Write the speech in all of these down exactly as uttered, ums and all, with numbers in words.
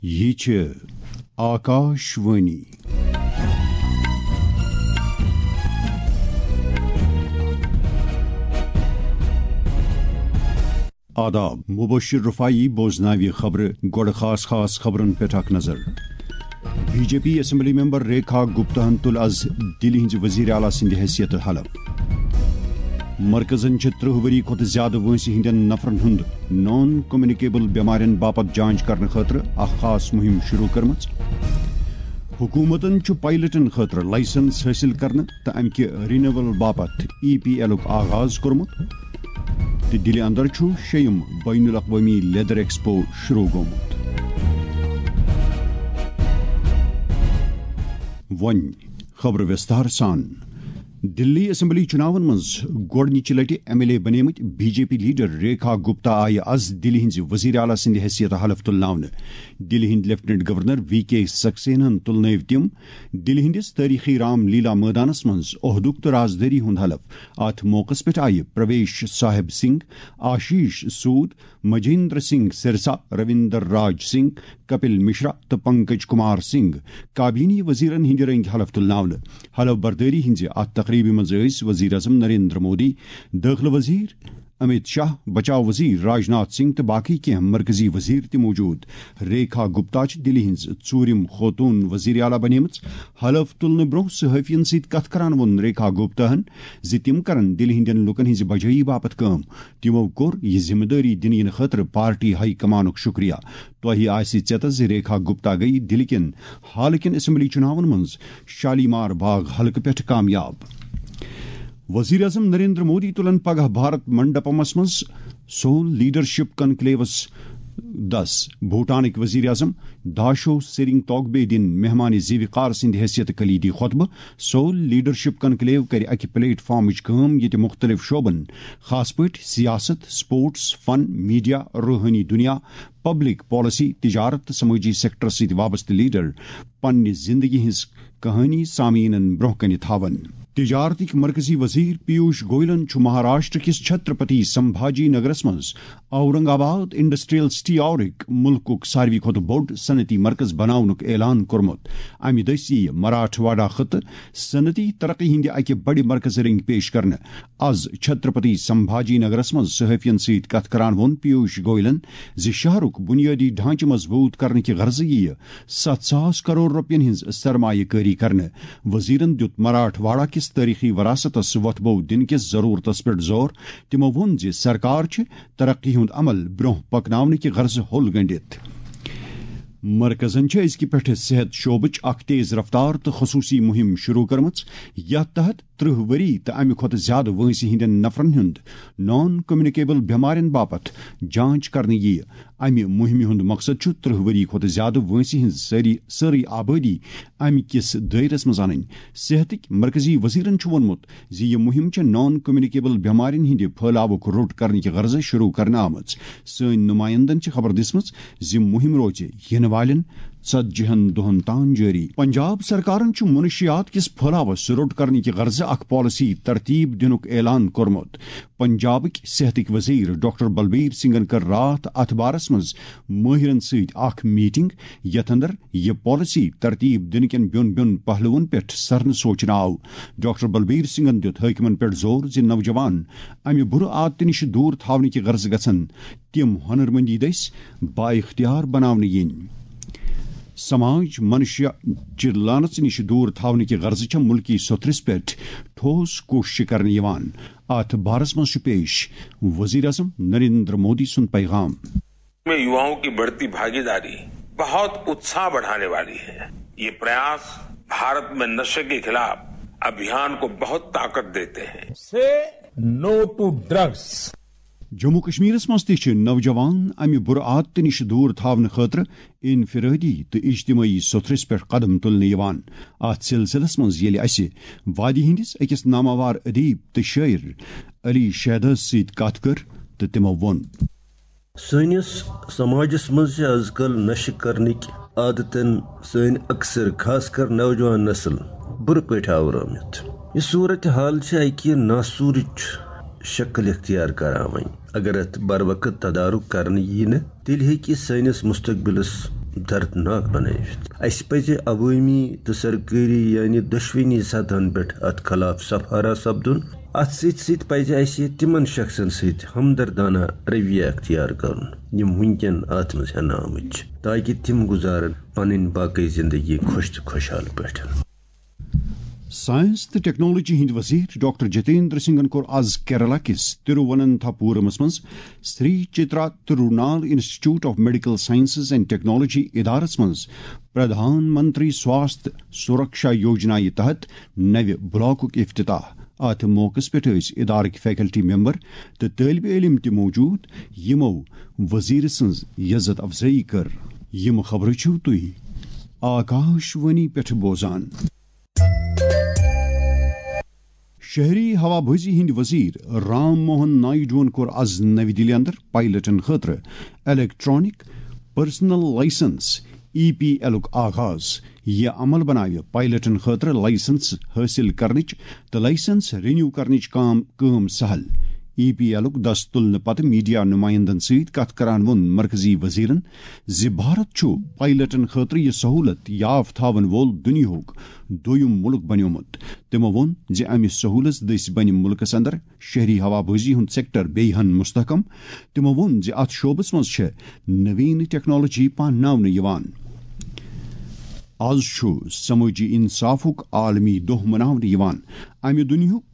یہِ چھِ آکاش وانی۔ آداب، مبشر رفاعی بوزناوِ خبرٕ۔ گۄڈٕ خاص خاص خبرن پٮ۪ٹھ اکھ نظر۔ B J P assembly member Rekha گپتاہن تُل از دِلہِ ہٕنٛزِ وزیر اعلیٰ سٕنٛدِ حیثیتہٕ حلف۔ مرکزن چھِ ترٕٛہ ؤری کھۄتہٕ زیادٕ وٲنٛسہِ ہٕنٛدٮ۪ن نفرن ہُنٛد نان کمیونیکیبل بٮ۪مارٮ۪ن باپتھ جانچ کرنہٕ خٲطرٕ اکھ خاص مُہِم شروٗع کٔرمٕژ۔ حکوٗمتن چھُ پائلٹن خٲطرٕ لائسنس حٲصِل کرنہٕ تہٕ امہِ کہِ رینیول باپتھ ای پی ایلُک آغاز کوٚرمُت۔ تہٕ دِلہِ اندر چھُ شیٚیِم بین الاقوٲمی لیدر ایکسپو شروٗع گوٚمُت۔ وۄنۍ خبرٕ وِستار سان۔ دِلی اسمبلی چُناون منٛز گۄڈٕنِچہِ لٹہِ ایم ایل اے بنیمٕتۍ B J P leader Rekha Gupta آیہِ از دِلہِ ہٕنٛزِ وزیر اعلیٰ سٕنٛدِ حیثیتہٕ حلف تُلناونہٕ۔ دِلہِ ہٕنٛدۍ لیفٹیننٹ گورنر وی کے سکسیناہن تُلنٲوۍ تِم دِلہِ ہٕنٛدِس تٲریخی رام لیلا مٲدانس منٛز عہدُک تہٕ رازدٲری ہُنٛد حلف۔ اتھ موقعس پٮ۪ٹھ آیہِ پرویش صاحب سنگھ، آشیش سود، مجیندر سنگھ سرسا، رویندر راج سنگھ، کپل مشرا تہٕ پنکج کمار سنگھ کابینی وزیرن ہٕنٛدِ رٔنگۍ حلف تُلناونہٕ۔ حلف بردٲری ہٕنٛزِ اتھ تقریبہِ منٛز ٲسۍ وزیر اعظم نریندر مودی، دٲخلہٕ وزیر امیت شاہ، بچاو وزیر راجناتھ سنگھ تہٕ باقی کینٛہہ مرکزی وزیر تہِ موجود۔ ریکھا گپتا چھِ دِلہِ ہٕنٛز ژوٗرِم خوتوٗن وزیر اعلیٰ بنیمٕژ۔ حلف تُلنہٕ برونٛہہ صحافین سۭتۍ کتھ کران ووٚن ریکھا گپتاہن زِ تِم کرن دِلہِ ہٕنٛدٮ۪ن لوٗکن ہٕنٛزِ بھلٲیی باپتھ کٲم۔ تِمو کوٚر یہِ ذمہٕ دٲری دِنہٕ یِنہٕ خٲطرٕ پارٹی ہائی کمانُک شُکریہ۔ تۄہہِ آسہِ ژیتس زِ ریکھا گپتا گٔیہِ دِلہِ کٮ۪ن حالہٕ کٮ۪ن اسمبلی چُناون منٛز شالیمار باغ حلقہٕ پٮ۪ٹھ کامیاب۔ وزیر اعظم نریندر مودی تُلن پگاہ بھارت منڈپمس منٛز سول لیڈرشپ کنکلیوس دس بھوٹانٕکۍ وزیر اعظم داشو سرنگ توگبے دِن مہمان زیوِ کار سٕنٛدِ حیثیت کلیدی خطبہٕ۔ سول لیڈرشپ کنکلیو کرِ اکہِ پلیٹ فارمٕچ کٲم ییٚتہِ مُختٔلِف شعبن، خاص پٲٹھۍ سیاست، سپورٹس، فن، میڈیا، روحٲنی دنیا، پبلک پالیسی، تجارت تہٕ سمٲجی سیکٹرس سۭتۍ وابستہٕ لیڈر پننہِ زندگی ہٕنٛز کہانی سامعیٖنن برونٛہہ کنہِ تھاون۔ تجارتٕکۍ مرکزی وزیر پیوش گوئلن چھُ مہاراشٹر کِس چھترپتی سمبھاجی نگرس منٛز اورنگ آباد انڈسٹریل سٹی آورٕکۍ مُلکُک ساروی کھۄتہٕ بوٚڑ صنعتی مرکز بناونُک اعلان کوٚرمُت۔ امہِ دٔسۍ یِیہِ مراٹھواڑہ خطہٕ صنعتی ترقی ہٕنٛدِ اکہِ بڑِ مرکزٕ رٔنگۍ پیش کرنہٕ۔ از چھترپتی سمبھاجی نگرس منٛز صحافین سۭتۍ کتھ کران ووٚن پیوش گوئلن زِ شہرُک بنیٲدی ڈھانچہٕ مضبوط کرنہٕ کہِ غرضہٕ یِیہِ ستھ ساس کرور رۄپین ہٕنٛز سرمایہ کٲری کرنہٕ۔ وزیرن دیُت مراٹھواڑہ کِس تٲریخی وراثتس وۄتھٕ بو دِنہٕ کِس ضرورتس پٮ۪ٹھ زور۔ تِمو ووٚن زِ سرکار چھِ ترقی ہُنٛد عمل برونٛہہ پکناونہٕ کہِ غرضہٕ ہوٚل گنڈِتھ۔ مرکزن چھےٚ أزکہِ پٮ۪ٹھٕ صحت شعبٕچ اکھ تیز رفتار تہٕ خصوٗصی مُہِم شروٗع کٔرمٕژ، یتھ تحت ترٕٛہ ؤری تہٕ امہِ کھۄتہٕ زیادٕ وٲنٛسہِ ہٕنٛدٮ۪ن نفرن ہُنٛد نان کمیونیکیبل بٮ۪مارٮ۪ن باپتھ جانچ کرنہٕ یِیہِ۔ امہِ مُہِمہِ ہُنٛد مقصد چھُ ترٕٛہ ؤری کھۄتہٕ زیادٕ وٲنٛسہِ ہٕنٛز سٲری، سٲرٕے آبٲدی امہِ کِس دٲیرس منٛز انٕنۍ۔ صحتٕکۍ مرکزی وزیرن چھُ ووٚنمُت زِ یہِ مُہِم چھےٚ نان کمیونیکیبل بٮ۪مارٮ۪ن ہٕنٛدِ پھٲلاوُک روٚٹ کرنہٕ کہِ غرضہٕ شروٗع کرنہٕ آمٕژ۔ سٲنۍ نُمایندن چھِ خبر دِژمٕژ زِ مُہِم روزِ یِنہٕ والٮ۪ن ژتجی ہن دۄہن تام جٲری۔ پنجاب سرکارن چھُ منشیات کِس پھٲلاوس روٚٹ کرنہٕ کہِ غرضہٕ اکھ پالیسی ترتیب دِنُک اعلان کوٚرمُت۔ پنجابٕکۍ صحتٕکۍ وزیر ڈاکٹر بلبیر سنگھن کٔر راتھ اتھ بارس منٛز مٲہرن سۭتۍ اکھ میٹنگ، یتھ اندر یہِ پالیسی ترتیب دِنہٕ کٮ۪ن بیوٚن بیوٚن پہلوَن پٮ۪ٹھ سرنہٕ سوچنہٕ آو۔ ڈاکٹر بلبیر سنگھن دیُت حٲکمن پٮ۪ٹھ زور زِ نوجوان امہِ بُرٕ عادتہٕ نِش دوٗر تھاونہٕ کہِ غرضہٕ گژھن تِم ہنرمندی دٔسۍ بااختیار بناونہٕ یِنۍ۔ سماج منشیہ چہِ لعنژ نِش دوٗر تھاونہٕ کہِ غرضہٕ چھےٚ مُلکی سوٚتھرِس پٮ۪ٹھ ٹھوس کوٗششہٕ کرنہٕ یِوان۔ اتھ بارس منٛز چھُ پیش وزیر اعظم نریندر مودی سُنٛد پیغام۔ में युवाओं की बढ़ती भागीदारी बहुत उत्साह बढ़ाने वाली है। ये प्रयास भारत में नशे के खिलाफ अभियान को बहुत ताकत देते हैं। Say no to drugs. Jammu کشمیرس منٛز تہِ چھِ نوجوان امہِ بُرٕ عادتہٕ نِش دوٗر تھاونہٕ خٲطرٕ انفرٲدی تہٕ اجتمٲعی سوٚتھرِس پٮ۪ٹھ قدم تُلنہٕ یِوان۔ اتھ سلسلس منٛز ییٚلہِ اسہِ وادی ہٕنٛدِس أکِس ناماوار ادیب تہٕ شٲعر علی شہدس سۭتۍ کتھ کٔر تہٕ تِمو ووٚن۔ سٲنِس سماجس منٛز چھِ از کل نشہٕ کرنٕکۍ عادتن سٲنۍ اکثر خاص کر نوجوان نسل بُرٕ پٲٹھۍ آورٲمٕتۍ۔ یہِ صورت حال چھِ اکہِ ناسوٗرٕچ شکل اختیار کران وۄنۍ۔ اگر اتھ بر وقت تدارک کرنہٕ ییہِ نہٕ، تیٚلہِ ہیٚکہِ سٲنِس مستقبلس دردناک بنٲوِتھ۔ اسہِ پزِ عوٲمی تہٕ سرکٲری، یعنی دۄشوٕنی سطحن پٮ۪ٹھ اتھ خلاف صفارہ سپدُن۔ اتھ سۭتۍ سۭتۍ پزِ اسہِ تِمن شخصن سۭتۍ ہمدردانہ رویہ اختیار کرُن، یِم وٕنکٮ۪ن اتھ منٛز ہٮ۪نہٕ آمٕتۍ چھِ، تاکہِ تِم گُزارن پنٕنۍ باقٕے زندگی خۄش تہٕ خۄشحال پٲٹھۍ۔ ساینس تہٕ ٹیکنالوجی ہٕنٛدۍ وزیر ڈاکٹر جتیندر سنگھن کوٚر از کیرالہ کِس ترووننتھاپورمس منٛز Sree Chitra Tirunal Institute of medical Sciences and Technology ادارس منٛز پردھان منتری سواستھ سرکشا یوجنا یہِ تحت نوِ بلاکُک افتتاح۔ اتھ موقعس پٮ۪ٹھ ٲسۍ ادارٕکۍ فیکلٹی ممبر تہٕ طٲلبِ علم تہِ موجود، یِمو وزیر سٕنٛز عزت افزٲیی کٔر۔ یِم خبرٕ چھِو تُہۍ آکاش وانی پٮ۪ٹھ بوزان۔ شہری ہوابازی ہٕنٛدۍ وزیر رام موہن نائیڈوَن کوٚر از نَوِ دِلہِ اندر پائلٹن خٲطرٕ الیکٹرانک پرسنل لائسنس، ای پی ایلُک آغاز۔ یہِ عمل بناوِ پائلٹن خٲطرٕ لائسنس حٲصِل کرنٕچ تہٕ لائسنس رینیو کرنٕچ کام، کٲم سہل۔ ای پی ایلُک دَس تُلنہٕ پتہٕ میڈیا نمائندن سۭتۍ کتھ کران ووٚن مرکزی وزیرن زِ بھارت چھُ پائلٹن خٲطرٕ یہِ سہولت یاف تھاون وول دُنیاہُک دوٚیُم مُلک بنیومُت۔ تِمو ووٚن زِ امہِ سہولت دٔسۍ بنہِ مُلکس اندر شہری ہوابازی ہُنٛد سیکٹر بیٚیہِ ہن مستحکم۔ تِمو ووٚن زِ اتھ شعبس منٛز چھےٚ نوین ٹیکنالوجی پانناونہٕ یِوان۔ از چھُ سمٲجی انصافُک عالمی دۄہ مناونہٕ یِوان۔ امہِ دُنیاہُک،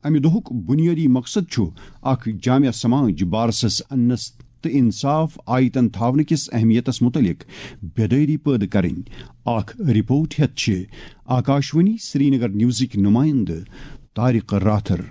امہِ دۄہُک بُنیٲدی مقصد چھُ اکھ جامع سماج بارسس اننس تہٕ انصاف آیتن تھاونہٕ کِس اہمیتس مُتعلق بیدٲری پٲدٕ کرٕنۍ۔ اکھ رپورٹ ہیتھ چھِ آکاشوانی سرینگر نیوزٕکۍ نمائندٕ طارق راتھر۔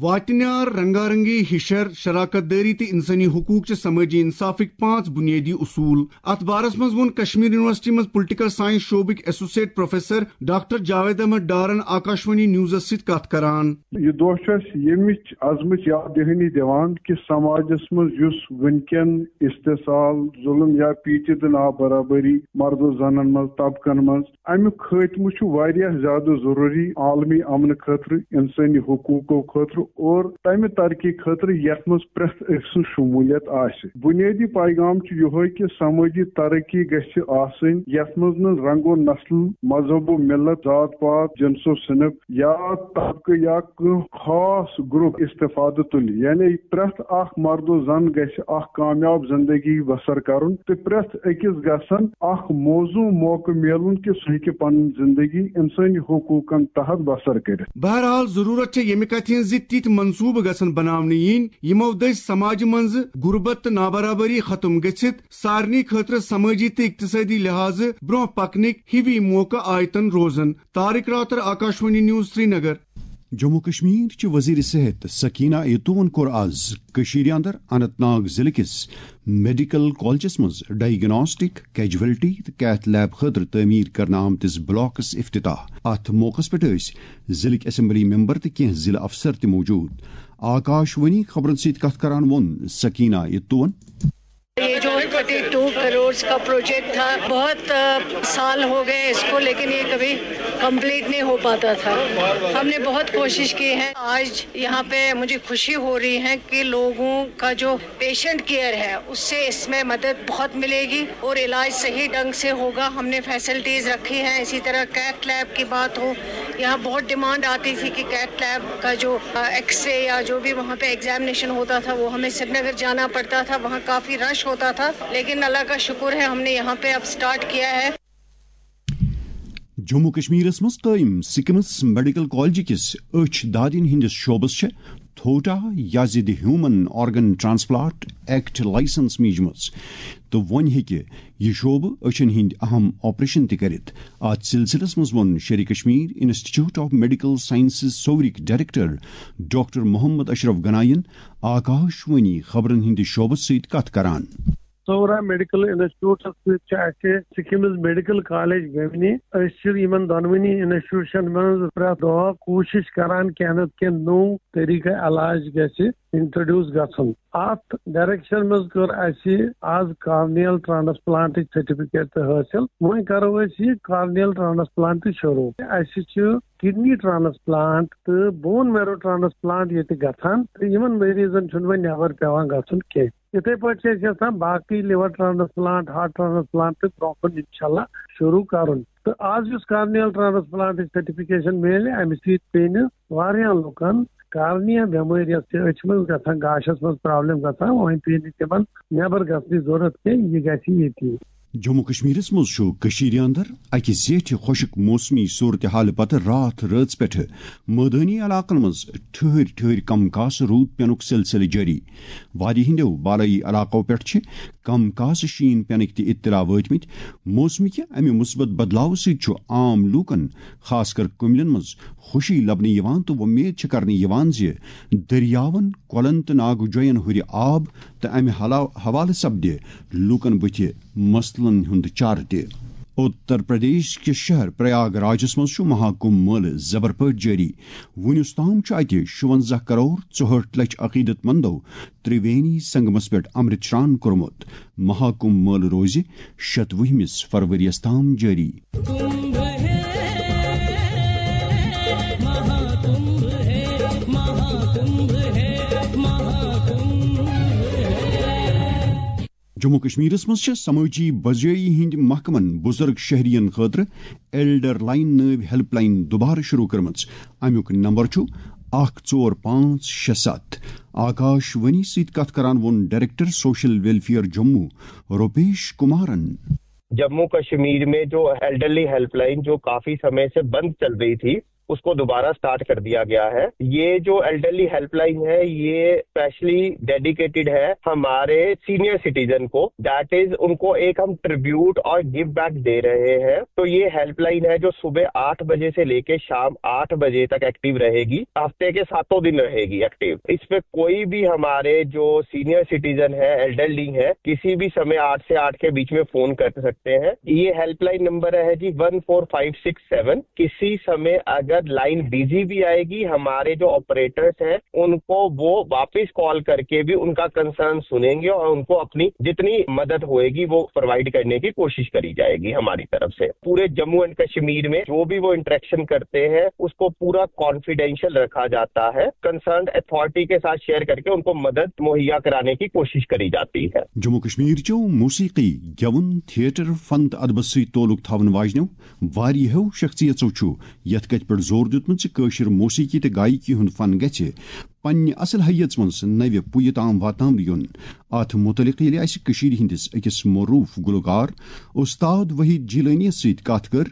واتنیار، رنگارنگی، ہشر، شراکت دٲری تہٕ انسٲنی حقوق چھِ سمٲجی انصافٕکۍ پانٛژھ بُنیٲدی اصوٗل۔ اتھ بارس منٛز ووٚن کشمیر یونیورسٹی منٛز پولیٹیکل ساینس شعبٕکۍ associate professor doctor Javed Ahmad ڈارن آکاشوانی نیوزس سۭتۍ کتھ کران۔ یہِ دۄہ چھُ اَسہِ ییٚمِچ عظمٕچ یاد دہانی دِوان کہِ سماجس منٛز یُس وٕنکٮ۪ن استحصال، ظلم یا پیچیدٕ نابرابری مردو زنن منٛز، طبقن منٛز، اَمیُک خٲتمہٕ چھُ واریاہ زیادٕ ضروٗری عالمی امنہٕ خٲطرٕ، انسٲنی حقوقو خٲطرٕ اور تمہِ ترقی خٲطرٕ یتھ منٛز پرٛٮ۪تھ أکۍ سٕنٛز شمولیت آسہِ۔ بنیٲدی پیغام چھُ یِہوے کہِ سمٲجی ترقی گژھِ آسٕنۍ یتھ منٛز نہٕ رنگ و نسل، مذہب و ملت، ذات پات، جنس و صنف یا طبقہٕ یا کانٛہہ خاص گروپ استفادٕ تُلہِ، یعنی پرٛٮ۪تھ اکھ مرد و زن گژھِ اکھ کامیاب زندگی بسر کرُن تہٕ پرٛٮ۪تھ أکِس گژھن اکھ موزوں موقعہٕ میلُن کہِ سُہ ہیٚکہِ پنٕنۍ زندگی انسٲنی حقوقن تحت بسر کٔرِتھ۔ بہرحال، ضرورت چھےٚ ییٚمہِ کتھِ ہٕنٛز زِ تِتھۍ منصوبہٕ گژھن بناونہٕ یِنۍ، یِمو دٔسۍ سماجہِ منٛز غربت تہٕ نابرابری ختم گٔژھِتھ سارنٕے خٲطرٕ سمٲجی تہٕ اقتصٲدی لحاظہٕ برونٛہہ پکنٕکۍ ہِوی موقعہٕ آیتن روزن۔ طارق راتر، آکاشوانی نیوز، سرینگر۔ جموں کشمیر چہِ وزیر صحت سکینہ ایتون کوٚر از کٔشیٖرِ اندر اننت ناگ ضلعہٕ کِس میڈیکل کالجس منٛز ڈائگناسٹک، کیجولٹی تہٕ کیتھ لیب خٲطرٕ تعمیٖر کرنہٕ آمتِس بلاکس افتتاح۔ اتھ موقعس پٮ۪ٹھ ٲسۍ ضلعٕکۍ اسمبلی ممبر تہٕ کینٛہہ ضلعہٕ افسر تہِ موجود۔ آکاشوانی خبرن سۭتۍ کتھ کران ووٚن سکینہ ایتون۔ یہ جو تھرٹی ٹو کروڑز کا پروجیکٹ تھا، بہت، آ، سال ہو گئے اس کو، لیکن یہ کبھی کمپلیٹ نہیں ہو پاتا تھا۔ ہم نے بہت کوشش کی ہے۔ آج یہاں پہ مجھے خوشی ہو رہی ہے کہ لوگوں کا جو پیشنٹ کیئر ہے، اس سے اس میں مدد بہت ملے گی اور علاج صحیح ڈھنگ سے ہوگا۔ ہم نے فیسلٹیز رکھی ہیں، اسی طرح کیتھ لیب کی بات ہو، یہاں بہت ڈیمانڈ آتی تھی کہ کیتھ لیب کا جو، آ، ایکس رے یا جو بھی وہاں پہ ایگزامینیشن ہوتا تھا، وہ ہمیں سرینگر جانا پڑتا تھا، وہاں کافی رش ہوتا تھا، لیکن اللہ کا شکر ہے، ہم نے یہاں پہ اب سٹارٹ کیا ہے۔ جموں کشمیرس منٛز قٲیِم سکمز میڈیکل کالج کِس أچھ دادٮ۪ن ہٕنٛدِس شعبس چھےٚ تھوٹا یا زِ the human organ transplant act licence میجمٕژ تہٕ وۄنۍ ہیٚکہِ یہِ شعبہٕ أچھن ہٕنٛدۍ اہم آپریشن تہِ کٔرِتھ۔ اتھ سلسلس منٛز ووٚن Sher i Kashmir institute of medical sciences سورٕکۍ ڈائریکٹر ڈاکٹر محمد اشرف گناین آکاشوانی خبرن ہٕنٛدِ شعبس سۭتۍ کتھ کران۔ سورا میڈیکل انسٹیٹیوٹس سۭتۍ چھِ اَسہِ سکمز میڈیکل کالج گٔمنہِ۔ أسۍ چھِ یِمن دۄنوٕنی انسٹیٹیوشن منٛز پرٛٮ۪تھ دۄہ کوٗشش کران کینٛہہ نتہٕ کینٛہہ نوٚو طریقہٕ علاج گژھِ انٹروڈیوس گژھُن۔ اتھ ڈائریکشن منٛز کٔر اَسہِ از کارنیل ٹرانسپلانٹٕچ سرٹیفکیٹ تہِ حٲصِل۔ وۄنۍ کرو أسۍ یہِ کارنیل ٹرانسپلانٹ تہِ شروع۔ اَسہِ چھِ کڈنی ٹرانسپلانٹ تہٕ بون میرو ٹرانسپلانٹ ییٚتہِ گژھان تہٕ یِمن مریضن چھُنہٕ وۄنۍ نٮ۪بر پٮ۪وان گژھُن کینٛہہ۔ یِتھے پٲٹھۍ چھِ أسۍ یژھان باقٕے liver transplant, heart transplant تہِ برونٛہہ کُن انشاءاللہ شروٗع کرُن۔ تہٕ آز یُس corneal transplant سرٹیفکیشن میلہِ، امہِ سۭتۍ پیٚیہِ نہٕ واریاہن لُکن کارنیا بٮ۪مٲرۍ، یۄس چھِ أچھِ منٛز گژھان، گاشس منٛز problem گژھان، وۄنۍ پیٚیہِ نہٕ تِمن نٮ۪بر گژھنٕچ ضروٗرت کینٛہہ، یہِ گژھِ ییٚتی۔ جموں کشمیرس منٛز چھُ کٔشیٖرِ اندر اکہِ زیٹھِ خۄشک موسمی صورتحالہٕ پتہٕ راتھ رٲژ پٮ۪ٹھٕ مٲدٲنی علاقن منٛز ٹھہرۍ ٹھہرۍ کم کاسہٕ روٗد پینُک سلسلہٕ جٲری۔ وادی ہٕنٛدیو بالٲیی علاقو پٮ۪ٹھ چھِ کم کاسہٕ شیٖن پینٕکۍ تہِ اطلاع وٲتمٕتۍ۔ موسمہٕ کہِ امہِ مثبت بدلاوٕ سۭتۍ چھُ عام لوٗکن، خاص کر کُملٮ۪ن منٛز خوشی لبنہٕ یِوان تہٕ وۄمید چھِ کرنہٕ یِوان زِ دٔریاوَن، کۄلَن تہٕ ناگہٕ جویَن ہُرِ آب تہٕ امہِ حلا-، حوالہٕ سپدِ لوٗکَن بٕتھِ مسلن ہُنٛد چارٕ تہِ۔ اُتر پردیش کِس شہر پریاگ راجس منٛز چھُ مہاکُمبھ مٲلہٕ زبر پٲٹھۍ جٲری۔ وُنیُس تام چھُ اتہِ شُونزاہ کرور ژُہٲٹھ لچھ عقیدت مندو ترٛوینی سنگمس پٮ۪ٹھ امرت شران کوٚرمُت۔ مہاکُمبھ مٲلہٕ روزِ شتوُہمِس فرؤریَس تام جٲری۔ جموں کشمیرس منٛز چھِ سمٲجی بجٲیی ہٕنٛدۍ محکمن بُزرگ شہرین خٲطرٕ ایلڈر لائن نٲوۍ ہیلپ لائن دوبارٕ شروع کٔرمٕژ۔ امیُک نمبر چھُ اکھ ژور پانٛژھ شےٚ ستھ۔ آکاش وانی سۭتۍ کتھ کران ووٚن director social welfare Jammu Rupesh کمارن۔ जम्मू कश्मीर में जो एल्डरली हेल्पलाइन, जो काफी समय से बंद चल रही थी, उसको दोबारा स्टार्ट कर दिया गया है। ये जो एल्डरली हेल्पलाइन है, ये स्पेशली डेडिकेटेड है हमारे सीनियर सिटीजन को। दैट इज, उनको एक हम ट्रिब्यूट और गिव बैक दे रहे हैं। तो ये हेल्पलाइन है जो सुबह आठ बजे से लेके शाम आठ बजे तक एक्टिव रहेगी, हफ्ते के सातों दिन रहेगी एक्टिव। इस पे कोई भी हमारे जो सीनियर सिटीजन है, एल्डरली है, किसी भी समय आठ से आठ के बीच में फोन कर सकते हैं। ये हेल्पलाइन नंबर है जी one four five six seven. किसी समय अगर लाइन बिजी भी आएगी, हमारे जो ऑपरेटर्स हैं उनको वो वापस कॉल करके भी उनका कंसर्न सुनेंगे और उनको अपनी जितनी मदद होएगी वो प्रोवाइड करने की कोशिश करी जाएगी हमारी तरफ से। पूरे जम्मू एंड कश्मीर में जो भी वो इंटरेक्शन करते हैं, उसको पूरा कॉन्फिडेंशियल रखा जाता है। कंसर्न अथॉरिटी के साथ शेयर करके उनको मदद मुहैया कराने की कोशिश करी जाती है। جموں کشمیر چیو موسیقی، گیون، تھیٹر، فن تہٕ ادبس سۭتۍ تعلق تھاون واجنیو واریاہو شخصیژو چھُ یتھ کتھِ پٮ۪ٹھ زور دیُتمُت زِ کٲشِر موسیقی تہٕ گایکی ہُنٛد فن گژھِ پننہِ اصل حیژ منٛز نوِ پُیہِ تام واتناونہٕ یُن۔ اتھ متعلق ییٚلہِ اسہِ کٔشیٖرِ ہٕنٛدِس أکِس معروٗف گلوکار استاد وحید جیلٲنیَس سۭتۍ کتھ کٔر،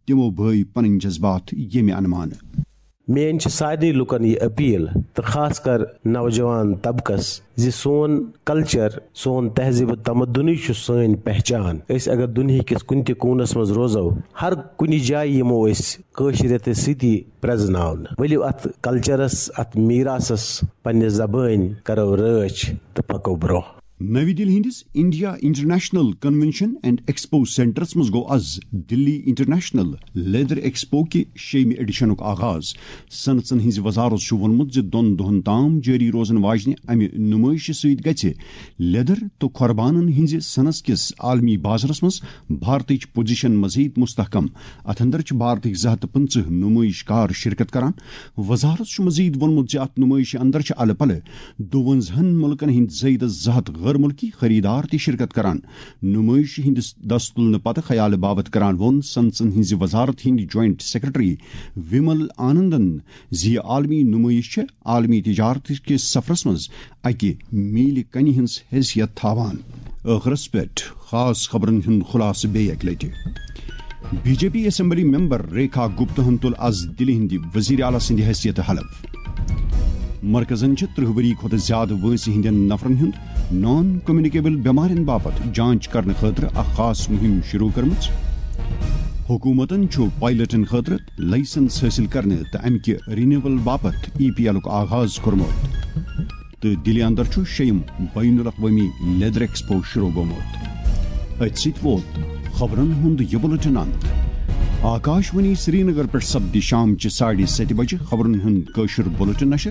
تِمو بٲوۍ پنٕنۍ جذبات ییٚمہِ انمانہٕ۔ میٲنۍ چھِ سارنٕے لُکن یہِ اپیل تہٕ خاص کر نوجوان طبقس زِ سون کلچر، سون تہذیب و تمدنٕے چھُ سٲنۍ پہچان۔ أسۍ اگر دُنیہکِس کُنہِ تہِ کوٗنس منٛز روزو، ہر کُنہِ جایہِ یِمو أسۍ کٲشرِیتس سۭتی پرزناونہٕ۔ ؤلِو اتھ کلچرس، اتھ میراثس، پننہِ زبٲنۍ کرو رٲچھ تہٕ پکو برونٛہہ۔ نٔوۍ دِلہِ ہٕنٛدِس India International Convention and Expo سینٹرس منٛز گوٚو از دِلی انٹرنیشنل لیدر ایکسپو کہِ شیٚیِمہِ ایڈیشنُک آغاز۔ صنعژن ہٕنٛزِ وزارت چھُ ووٚنمُت زِ دۄن دۄہن تام جٲری روزن واجنہِ امہِ نُمٲیشہِ سۭتۍ گژھِ لیدر تہٕ کھۄربانن ہٕنٛزِ صنعژ کِس عالمی بازرس منٛز بھارتٕچ پوزیشن مزید مستحکم۔ اتھ اندر چھِ بھارتٕکۍ زٕ ہتھ تہٕ پٕنٛژٕہ نُمٲیش کار شرکت کران۔ وزارت چھُ مزید ووٚنمُت زِ اتھ نُمٲیشہِ اندر چھِ الہٕ پلہٕ دُوَنزاہن مُلکن ہٕنٛدۍ زٲیدٕ زٕ ہتھ غٲر مُلکی خریدار تہِ شرکت کران۔ نُمٲیشہِ ہٕنٛدِس دستُلنہٕ پتہٕ خیالہٕ باوتھ کران ووٚن صنعژن ہٕنٛزِ وزارت ہٕنٛدۍ جوائنٹ سیکرٹری ومل آنندن زِ یہِ عالمی نُمٲیش چھےٚ عالمی تجارت کِس سفرس منٛز اکہِ میٖلہِ کنہِ ہٕنٛز حیثیت تھاوان۔ ٲخرس پٮ۪ٹھ خاص خبرن ہُنٛد خلاصہٕ بیٚیہِ اکہِ لٹہِ۔ B J P assembly member Rekha گپتہن تُل از دِلہِ ہٕنٛدِ وزیر اعلیٰ سٕنٛدِ حیثیتہٕ حلف۔ مرکزن چھِ ترٕہ ؤری کھۄتہٕ زیادٕ وٲنٛسہِ ہٕنٛدٮ۪ن نفرن ہُنٛد نان کمیونیکیبل بٮ۪مارٮ۪ن باپتھ جانچ کرنہٕ خٲطرٕ اکھ خاص مُہِم شروع کٔرمٕژ۔ حکوٗمتن چھُ پائلٹن خٲطرٕ لائسنس حٲصِل کرنہٕ تہٕ امہِ کہِ رینیول باپتھ ای پی ایلُک آغاز کوٚرمُت۔ تہٕ دِلہِ اندر چھُ شیٚیِم بین الاقوٲمی لیدر ایکسپو شروع گوٚمُت۔ أتھۍ سۭتۍ ووت خبرن ہُنٛد یہِ بُلٹن اند۔ آکاش وانی سرینگر پٮ۪ٹھ سپدِ شام چہِ ساڑِ ستہِ بجہِ خبرن ہُنٛد کٲشُر بُلٹن نشر۔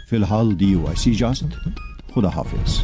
فی الحال دِیِو اَسہِ اجازت۔ خدا حافظ۔